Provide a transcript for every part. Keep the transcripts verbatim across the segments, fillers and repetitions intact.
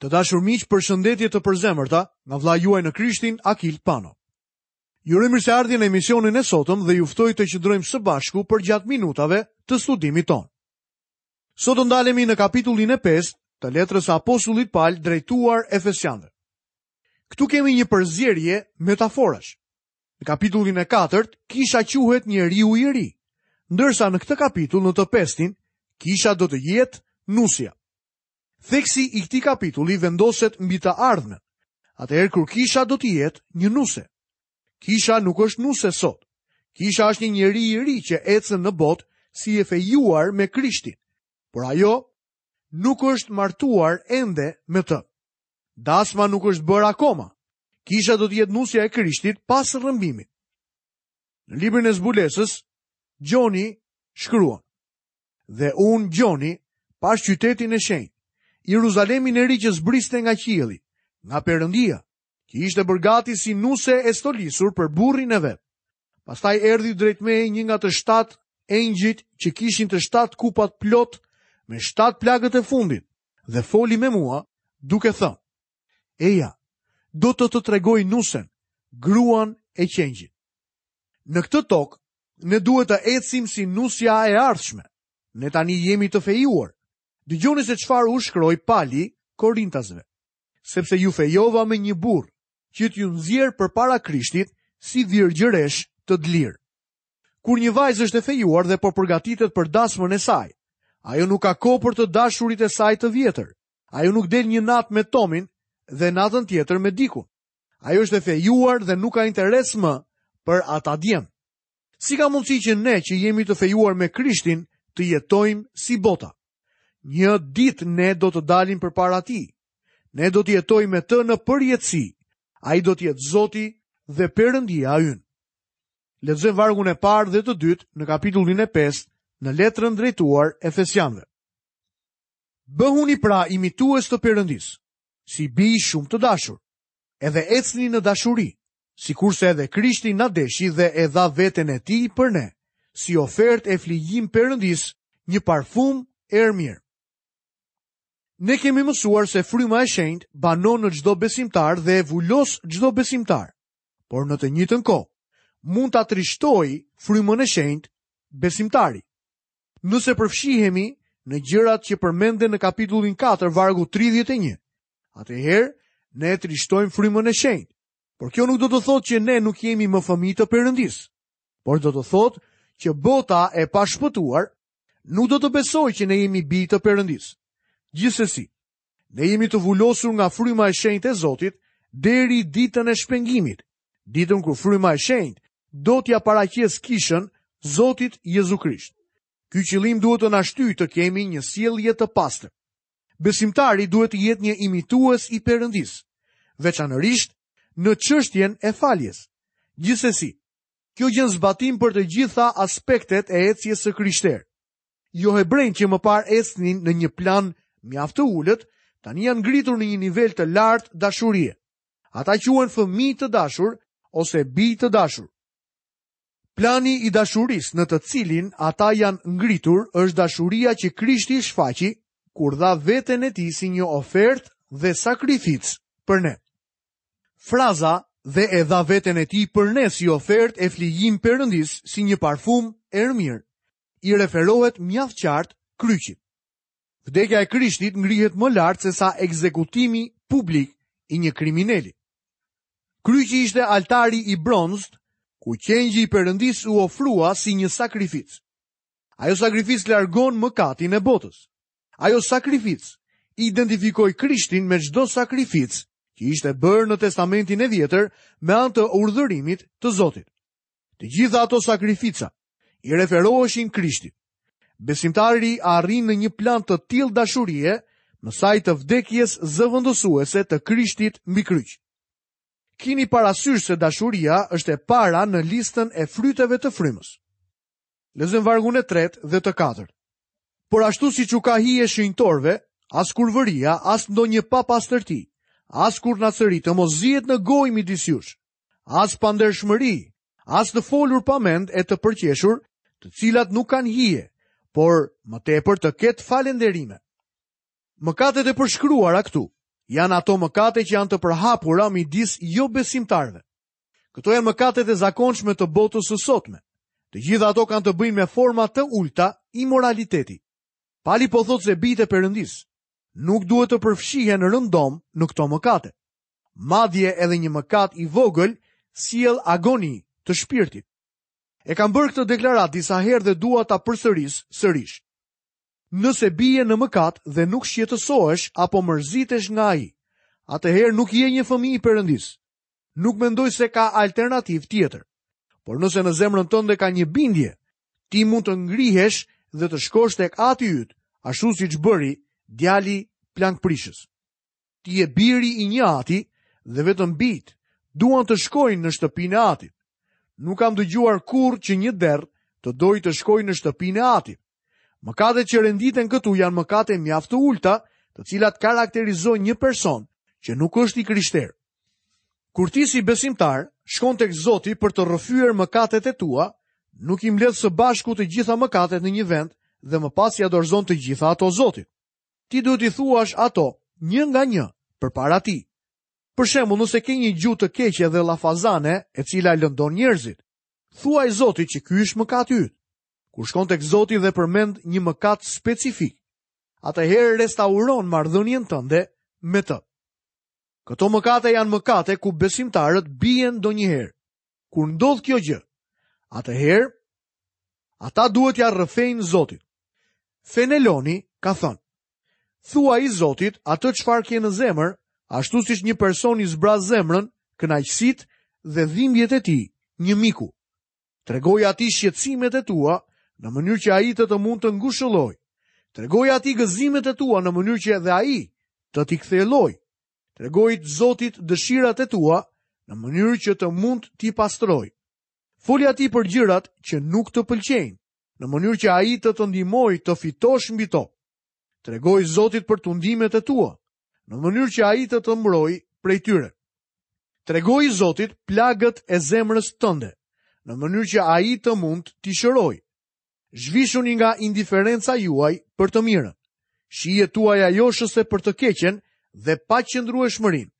Të dashur miq, përshëndetje të përzemërta nga vëllai juaj në Krishtin, Akil Pano. Ju uroj mirëseardhjen në emisionin e sotëm dhe ju ftoj të qëndrojmë së bashku përgjatë minutave të studimit tonë. Sot do ndalemi në kapitullin e pestë të letrës së apostullit Pal drejtuar Efesianëve. Këtu kemi një përzierje metaforash. Në kapitullin e katërt, kisha quhet njeriu i ri, ndërsa në këtë kapitull, në të pestin, kisha do të jetë nusja. Theksi i këtij kapitulli vendoset mbi të ardhmen, atëherë kur kisha do të jetë një nuse. Kisha nuk është nuse sot. Kisha është një njeri i ri që ecën në botë si e fejuar me Krishtin, por ajo nuk është martuar ende me të. Dasma nuk është bërë akoma. Kisha do të jetë nusja e Krishtit pas rrëmbimit. Në librin e zbulesës, Gjoni shkruan: "Dhe unë Gjoni pash qytetin e shenjtë, Jeruzalemin e ri që zbriste nga qielli, nga Perëndia, që ishte bërë gati si nuse e stolisur për burrin e vet. Pastaj erdhi drejt meje një nga të shtatë engjëjt që kishin të shtatë kupat plot me shtatë plagët e fundit dhe foli me mua duke thënë: Eja, do të të tregoj nusen, gruan e qengjit. Në këtë tokë, ne duhet të ecim si nusja e ardhshme. Ne tani jemi të fejuar. Dëgjoni se çfarë u shkroi Pali Korintasve. Sepse ju fejova me një burr që t'ju nxjerr përpara Krishtit si virgjëresh të dlirë. Kur një vajzë është e fejuar dhe po përgatitet për dasmën e saj, ajo nuk ka kohë për të dashurit e saj të vjetër. Ajo nuk del një natë me Tomin dhe natën tjetër me Dikun. Ajo është e fejuar dhe nuk ka interes më për ata djem. Si ka mundësi që ne që jemi të fejuar me Krishtin të jetojmë si bota? Një ditë ne do të dalim përpara tij. Ne do të jetojmë me të në përjetësi. Ai do të jetë Zoti dhe Perëndia ynë. Lexojmë vargun e parë dhe të dytë në kapitullin e pestë në letrën drejtuar Efesianëve. Bëhuni pra imitues të Perëndisë, si bij shumë të dashur, edhe ecni në dashuri, sikurse edhe Krishti na deshi dhe e dha veten e tij për ne, si ofertë e flijim Perëndisë, një parfum erë mirë. Ne kemi mësuar se fryma e shenjtë banon në çdo besimtar dhe e vulos çdo besimtar, por në të njëjtën kohë mund ta trishtojë frymën e shenjtë besimtari. Nëse përfshihemi në gjërat që përmenden në kapitullin katër, vargu tridhjetë e një, atëherë ne e trishtojmë frymën e shenjtë. Por kjo nuk do të thotë që ne nuk jemi më fëmijë të Perëndisë, por do të thotë që bota e pashpëtuar nuk do të besojë që ne jemi bij të Perëndisë. Gjithsesi, ne jemi të vulosur nga fryma e shenjtë e Zotit deri ditën e shpengimit, ditën kur fryma e shenjtë do t'ja paraqes kishën Zotit Jezu Krisht. Ky qëllim duhet të na shtyjë të kemi një sjellje të pastër. Besimtari duhet të jetë një imitues i Perëndisë, veçanërisht në çështjen e faljes. Gjithsesi, kjo gjen zbatim për të gjitha aspektet e ecjes së krishterë. Jo hebrejt që më parë ecnin në një plan mjaft të ulët, tani janë ngritur në një nivel të lartë dashurie. Ata quhen fëmijë të dashur ose bij të dashur. Plani i dashurisë në të cilin ata janë ngritur është dashuria që Krishti shfaqi kur dha veten e tij si një ofertë dhe sakrificë për ne. Fraza dhe e dha veten e tij për ne si ofertë e flijim Perëndisë si një parfum erë mirë, i referohet mjaft qartë kryqit. Vdekja e Krishtit ngrihet më lart se sa ekzekutimi publik i një krimineli. Kryqi ishte altari i bronzt, ku qengji i Perëndisë u ofrua si një sakrificë. Ajo sakrificë largon mëkatin e botës. Ajo sakrificë identifikoi Krishtin me çdo sakrificë që ishte bërë në Testamentin e Vjetër me anë të urdhërimit të Zotit. Të gjitha ato sakrifica i referoheshin Krishtit. Besimtari arrin në një plan të tillë dashurie në saj të vdekjes zëvendësuese të Krishtit mbi kryq. Kini parasysh se dashuria është e para në listën e fryteve të frymës. Lexojmë vargun e tretë dhe të katërt. Por ashtu siç u ka hije shenjtorëve, as kurvëria, as ndonjë papastërti, as kurnacëri të mos zihet në gojë midis jush, as pandershmëri, as të folur pa mend e të përqeshur, të cilat nuk kanë hije, por më tepër të ketë falënderime. Mëkatet e përshkruara këtu Janë ato mëkate që janë të përhapura midis jobesimtarëve. Këto janë mëkatet e zakonshme të botës së sotme. Të gjitha ato kanë të bëjnë me forma të ulta imoraliteti. Pali po thotë se bijtë e Perëndisë nuk duhet të përfshihen rëndom në këto mëkate. Madje edhe një mëkat i vogël sjell agoni të shpirtit. E kam bërë këtë deklaratë disa herë dhe dua ta përsëris sërish. Nëse bie në mëkat dhe nuk shqetësohesh apo mërzitesh nga ai, atëherë nuk je një fëmijë i Perëndisë. Nuk mendoj se ka alternativë tjetër. Por nëse në zemrën tënde ka një bindje, ti mund të ngrihesh dhe të shkosh tek ati yt, ashtu siç bëri djali plankprishës. Ti je biri i një ati dhe vetëm bijt duan të shkojnë në shtëpinë e atit. Nuk kam dëgjuar kurrë që një derr të dojë të shkojë në shtëpinë e atit. Mëkatet që renditen këtu janë mëkate mjaft të ulta, të cilat karakterizojnë një person që nuk është i krishterë. Kur ti si besimtar shkon tek Zoti për të rrëfyer mëkatet e tua, nuk i mbledh së bashku të gjitha mëkatet në një vend dhe më pas ia dorëzon të gjitha ato Zotit. Ti duhet t'i thuash ato një nga një përpara tij. Për shembull, nëse ke një gjuhë të keqe dhe llafazane, e cila lëndon njerëzit, thuaj Zotit që ky është mëkati yt. Kur shkon tek Zoti dhe përmend një mëkat specifik, atëherë restauron marrëdhënien tënde me të. Këto mëkate janë mëkate ku besimtarët bien ndonjëherë. Kur ndodh kjo gjë, atëherë ata duhet t'ia rrëfejnë Zotit. Feneloni ka thënë: Thuaj Zotit atë çfarë ke në zemër, ashtu siç një person i zbraz zemrën, kënaqësitë dhe dhimbjet e tij një miku. Tregoj atij shqetësimet e tua në mënyrë që ai të të mund të ngushëllojë. Tregoj atij gëzimet e tua në mënyrë që edhe ai të t'i kthjellojë. Tregoj Zotit dëshirat e tua në mënyrë që të mund t'i pastrojë. Foli atij për gjërat që nuk të pëlqejnë, në mënyrë që ai të të ndihmojë të fitosh mbi to. Tregoj Zotit për tundimet e tua, në mënyrë që ai të të mbrojë prej tyre. Tregoj Zotit plagët e zemrës tënde, në mënyrë që ai të mund t'i shërojë. Zhvishuni nga indiferenca juaj për të mirën, shijet tuaja joshëse për të keqen dhe paqëndrueshmërinë.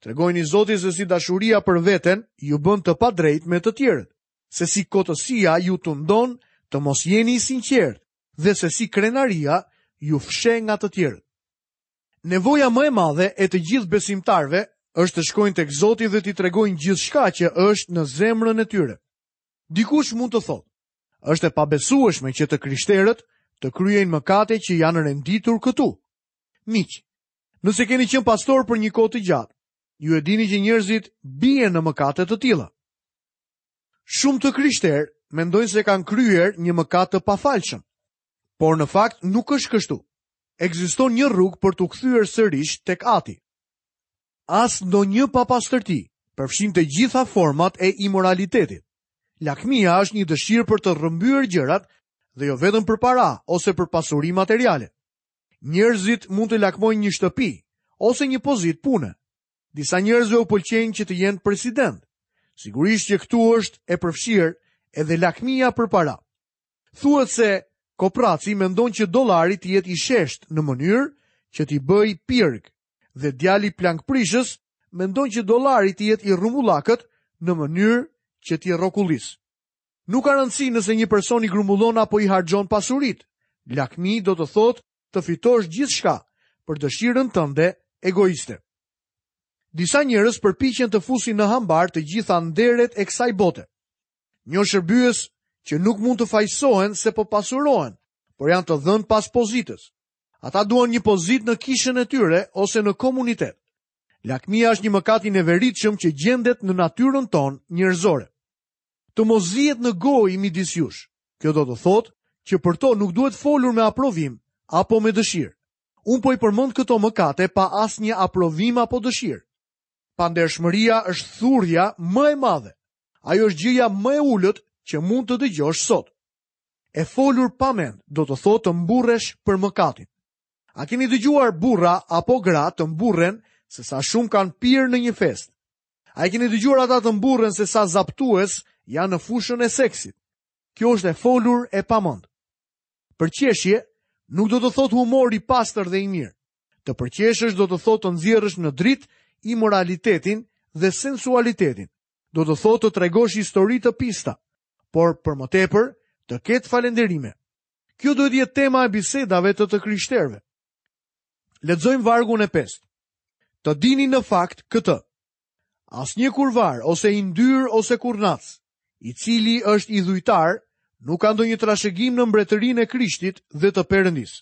Tregojini Zotit se si dashuria për veten ju bën të padrejtë me të tjerët, se si kotësia ju tundon të mos jeni i sinqertë dhe se si krenaria ju fsheh nga të tjerët. Nevoja më e madhe e të gjithë besimtarëve është të shkojnë tek Zoti dhe t'i tregojnë gjithçka që është në zemrën e tyre. Dikush mund të thotë, është e pabesueshme që të krishterët të kryejnë mëkate që janë renditur këtu. Miq, nëse keni qenë pastor për një kohë të gjatë, ju e dini që njerëzit bien në mëkate të tilla. Shumë të krishterë mendojnë se kanë kryer një mëkat të pafalshëm, por në fakt nuk është kështu. Ekziston një rrugë për t'u kthyer sërish tek Ati. As ndonjë papastërti përfshin të gjitha format e imoralitetit. Lakmia është një dëshirë për të rrëmbyer gjërat dhe jo vetëm për para ose për pasuri materiale. Njerëzit mund të lakmojnë një shtëpi ose një pozitë pune. Disa njerëzve u pëlqejnë që të jenë president. Sigurisht që këtu është e përfshirë edhe lakmia për para. Thuhet se kopraci mendon që dollari të jetë i shesht në mënyrë që t'i bëj pirg, dhe djali plankprishës mendon që dollari të jetë i rrumbullakët në mënyrë që t'i rrokullis. Nuk ka rëndësi nëse një person i grumbullon apo i harxhon pasuritë. Lakmi do të thotë të fitosh gjithçka për dëshirën tënde egoiste. Disa njerëz përpiqen të fusin në hambar të gjitha nderet e kësaj bote. Një shërbyes që nuk mund të fajsohen se po pasurohen, por janë të dhënë pas pozitës. Ata duan një pozitë në kishën e tyre ose në komunitet. Lakmia është një mëkat i neveritshëm që gjendet në natyrën tonë njerëzore. Të mos zihet në gojë midis jush. Kjo do të thotë që për to nuk duhet folur me aprovim apo me dëshirë. Unë po i përmend këto mëkate pa asnjë aprovim apo dëshirë. Pandershmëria është thurja më e madhe. Ajo është gjëja më e ulët që mund të dëgjosh sot. E folur pa mend do të thotë të mburresh për mëkatin. A keni dëgjuar burra apo gra të mburren se sa shumë kanë pirë në një festë? A i keni dëgjuar ata të mburren se sa zaptues janë në fushën e seksit? Kjo është e folur e pamend. Përqeshje nuk do të thotë humor i pastër dhe i mirë. Të përqeshësh do të thotë të nxjerrësh në dritë imoralitetin dhe sensualitetin. Do të thotë të tregosh histori të pista, por për më tepër të ketë falënderime. Kjo duhet të jetë tema e bisedave të të krishterëve. Lexojmë vargun e pestë. Të dini në fakt këtë. Asnjë kurvar ose i ndyrë ose kurnac, i cili është idhujtar, nuk ka ndonjë trashëgim në mbretërinë e Krishtit dhe të Perëndisë.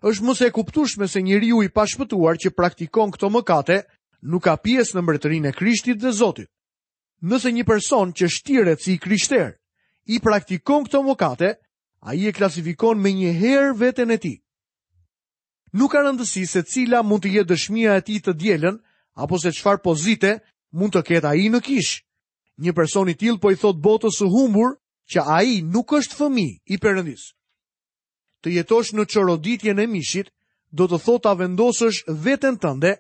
Është më se e kuptueshme se njeriu i pashpëtuar që praktikon këto mëkate nuk ka pjesë në mbretërinë e Krishtit dhe Zotit. Nëse një person që shtiret si i krishter i praktikon këto mëkate, ai e klasifikon me një herë veten e tij. Nuk ka rëndësi se cila mund të jetë dëshmia e tij të dielën apo se çfarë pozite mund të ketë ai në kishë. Një person i tillë po i thot botës së humbur që ai nuk është fëmijë i Perëndisë. Të jetosh në çoroditjen e mishit do të thotë ta vendosësh veten tënde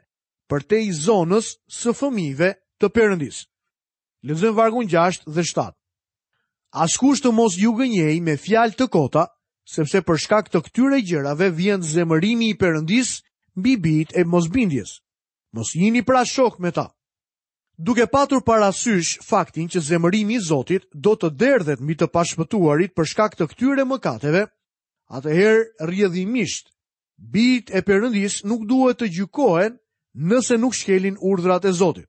përtej zonës së fëmijëve të Perëndisë. Lexojmë vargun gjashtë dhe shtatë. Askush të mos ju gënjej me fjalë të kota, sepse për shkak të këtyre gjërave vjen zemërimi i Perëndisë mbi bijt e mosbindjes. Mos jini pra shok me ta. Duke patur parasysh faktin që zemërimi i Zotit do të derdhet mbi të pashpëtuarit për shkak të këtyre mëkateve, atëherë rrjedhimisht bijt e Perëndisë nuk duhet të gjykohen nëse nuk shkelin urdhrat e Zotit.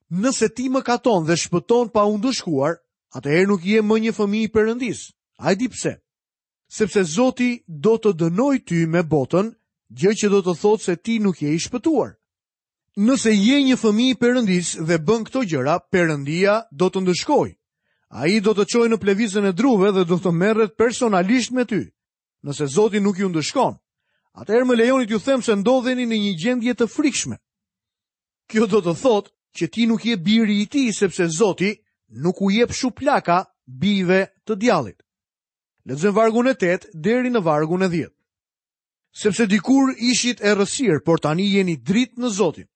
Nëse ti mëkaton dhe shpëton pa u ndëshkuar, atëherë nuk je më një fëmijë i Perëndisë. A e di pse? Sepse Zoti do të dënojë ty me botën, gjë që do të thotë se ti nuk je i shpëtuar. Nëse je një fëmijë i Perëndisë dhe bën këto gjëra, Perëndia do të ndëshkojë. Ai do të çojë në plevizën e druve dhe do të merret personalisht me ty. Nëse Zoti nuk ju ndëshkon, atëherë më lejoni t'ju them se ndodheni në një gjendje të frikshme. Kjo do të thotë që ti nuk je biri i tij, sepse Zoti nuk u jep shuplaka bijve të djallit. Lexojmë vargun e tetë deri në vargun e dhjetë. Sepse dikur ishit errësirë, por tani jeni dritë në Zotin.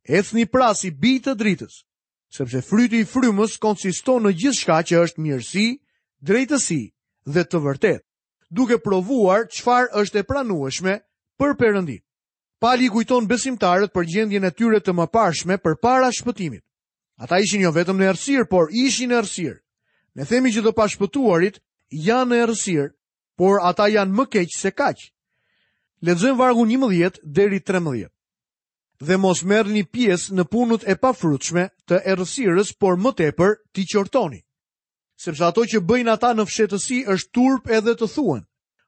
Ecni pra si bij të dritës, sepse fryti i frymës konsiston në gjithçka që është mirësi, drejtësi dhe të vërtetë, duke provuar çfarë është e pranueshme për Perëndin. Pali kujton besimtarët për gjendjen e tyre të mëparshme përpara shpëtimit. Ata ishin jo vetëm në errësirë, por ishin në errësirë. Ne themi që të pashpëtuarit janë në errësirë, por ata janë më keq se kaq. Lexojmë vargun njëmbëdhjetë deri trembëdhjetë. Dhe mos merrni pjesë në punët e pafrytshme të errësirës, por më tepër t'i qortoni. Sepse ato që bëjnë ata në fshehtësi është turp edhe të thuhen,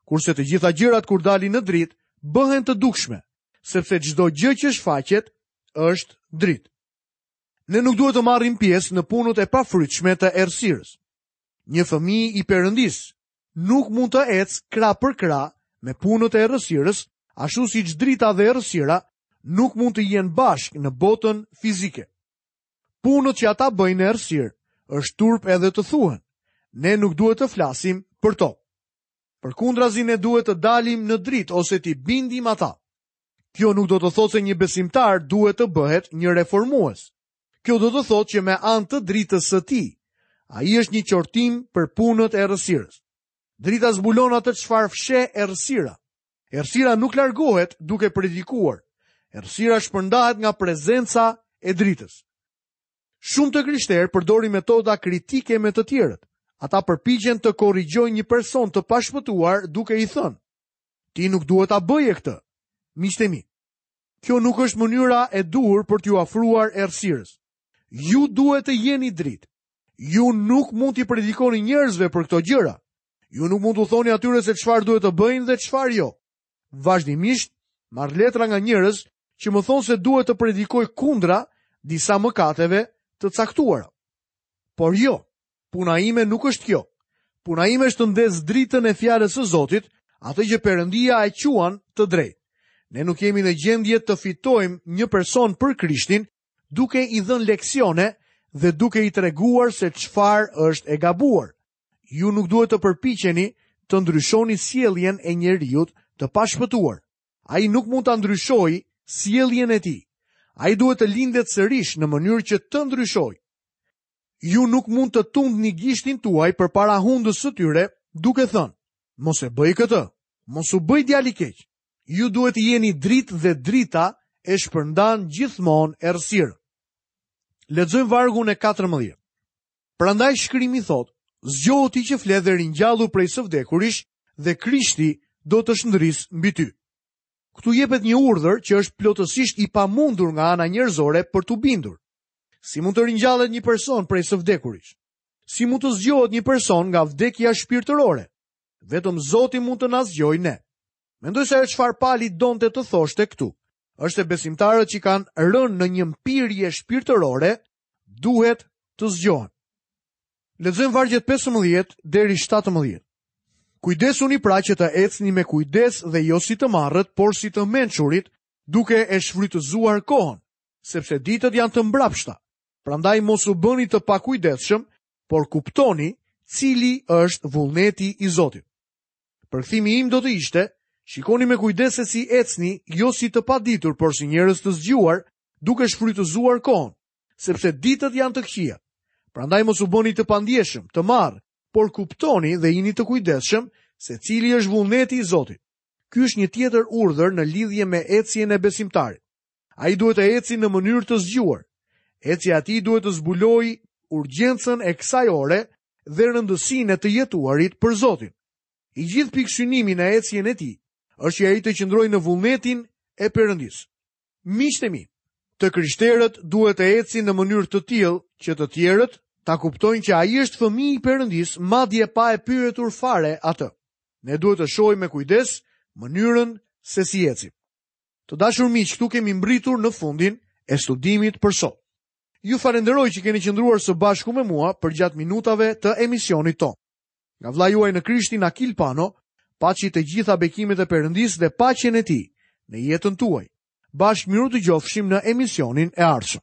kurse të gjitha gjërat kur dalin në dritë bëhen të dukshme, sepse çdo gjë që shfaqet është dritë. Ne nuk duhet të marrim pjesë në punët e pafrytshme të errësirës. Një fëmijë i Perëndisë nuk mund të ecë krah për krah me punët e errësirës, ashtu siç drita dhe errësira nuk mund të jenë bashkë në botën fizike. Punët që ata bëjnë në errësirë është turp edhe të thuhen. Ne nuk duhet të flasim për to. Përkundrazi ne duhet të dalim në dritë ose t'i bindim ata. Kjo nuk do të thotë se një besimtar duhet të bëhet një reformues. Kjo do të thotë që me anë të dritës së tij, ai është një qortim për punët e errësirës. Drita zbulon atë çfarë fsheh errësira. Errësira nuk largohet duke predikuar. Errësira shpërndahet nga prezenca e dritës. Shumë të krishterë përdorin metoda kritike me të tjerët. Ata përpiqen të korrigjojnë një person të pashpëtuar duke i thënë: "Ti nuk duhet ta bëje këtë." Miqtë e mi, kjo nuk është mënyra e duhur për t'ju afruar errësirës. Ju duhet të jeni dritë. Ju nuk mund t'i predikoni njerëzve për këto gjëra. Ju nuk mund t'u thoni atyre se çfarë duhet të bëjnë dhe çfarë jo. Vazhdimisht marr letra nga njerëz që më thonë se duhet të predikoj kundra disa mëkateve të caktuara. Por jo, puna ime nuk është kjo. Puna ime është të ndez dritën e fjalës së Zotit, atë që Perëndia e quan të drejtë. Ne nuk jemi në gjendje të fitojmë një person për Krishtin duke i dhënë leksione dhe duke i treguar se çfarë është e gabuar. Ju nuk duhet të përpiqeni të ndryshoni sjelljen e njeriut të pashpëtuar. Ai nuk mund ta ndryshojë sjelljen e tij. Ai duhet të lindet sërish në mënyrë që të ndryshojë. Ju nuk mund të tundni gishtin tuaj përpara hundës së tyre duke thënë: "Mos e bëj këtë, mos u bëj djalë i keq." Ju duhet të jeni dritë dhe drita e shpërndan gjithmonë errësirën. Lexojmë vargun e katërmbëdhjetë. Prandaj shkrimi thotë, zgjohu ti që fle dhe ringjallu prej së vdekurish dhe Krishti do të shndris mbi ty. Këtu jepet një urdhër që është plotësisht i pamundur nga ana njerëzore për t'u bindur. Si mund të ringjallet një person prej së vdekurish? Si mund të zgjohet një person nga vdekja shpirtërore? Vetëm Zoti mund të na zgjojë ne. Mendoj se ajo çfarë Pali donte të thoshte këtu, është se besimtarët që kanë rënë në një mpirje shpirtërore duhet të zgjohen. Lexojmë vargjet pesëmbëdhjetë deri shtatëmbëdhjetë. Kujdesuni pra që të ecni me kujdes dhe jo si të marrët, por si të mençurit, duke e shfrytëzuar kohën, sepse ditët janë të mbrapshta. Prandaj mos u bëni të pakujdesshëm, por kuptoni cili është vullneti i Zotit. Përkthimi im do të ishte, shikoni me kujdes se si ecni, jo si të paditur, por si njerëz të zgjuar, duke shfrytëzuar kohën, sepse ditët janë të këqija. Prandaj mos u bëni të pandjeshëm, të marrë, por kuptoni dhe jini të kujdesshëm se cili është vullneti i Zotit. Ky është një tjetër urdhër në lidhje me ecjen e besimtarit. Ai duhet të eci në mënyrë të zgjuar. Ecja e tij duhet të zbulojë urgjencën e kësaj ore dhe rëndësinë e të jetuarit për Zotin. I gjithë pikësynimi në ecjen e tij është që ai të qëndrojë në vullnetin e Perëndisë. Miqtë e mi, të krishterët duhet të ecin në mënyrë të tillë që të tjerët ta kuptojnë që ai është fëmijë i Perëndisë, madje pa e pyetur fare atë. Ne duhet të shohim me kujdes mënyrën se si ecim. Të dashur miq, këtu kemi mbritur në fundin e studimit për sot. Ju falenderoj që keni qëndruar së bashku me mua përgjatë minutave të emisionit tonë. Nga vëllai juaj në Krishtin Akil Pano, paçi të gjitha bekimet e Perëndisë dhe paqen e tij në jetën tuaj. Bashkë miru dëgjofshim në emisionin e ardhshëm.